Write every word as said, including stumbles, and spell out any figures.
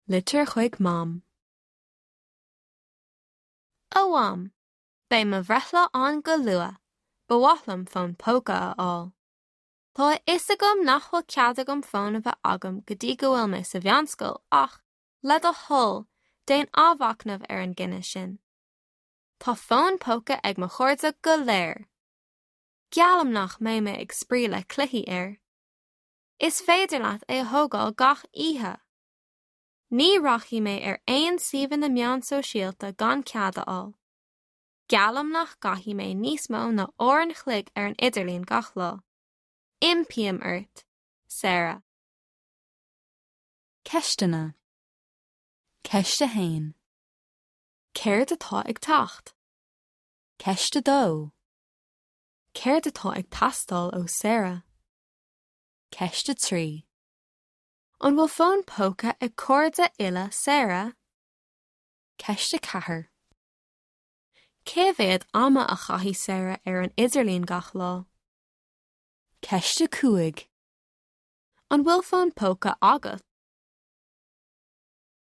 Litir chuig Mam. A Mham, Beidh mo bhreithlá ann go luath, ba mhaith liom fón póca a fháil. Tá a fhios agam nach bhfuil cead agam fón a bheith agam go dtí go bhfuil mé sa mheánscoil ach, le do thoil, déan athmhachnamh ar an gcinneadh sin. Tá fón póca ag mo chairde go léir. Geallaim nach mbeidh mé ag spraoi le cluichí air. Is féidir leat é a thógáil gach oíche. Ní rachaidh mé ar aon suíomhanna meán sóisialta gan cead a fháil. Geallaim nach gcaithfidh mé níos mó ná uair an chloig ar an idirlíon gach lá. Impím ort, Sarah. Ceisteanna. Ceist a haon. Céard atá ag teacht? Ceist a dó. Céard atá ag teastáil ó Sarah? Ceist a trí. An bhfuil fón póca ag cairde uile Sarah? Ceist a ceathair. Cé mhéad ama a chaithfidh Sarah ar an idirlíon gach lá? Ceist a cúig. An bhfuil fón póca agat?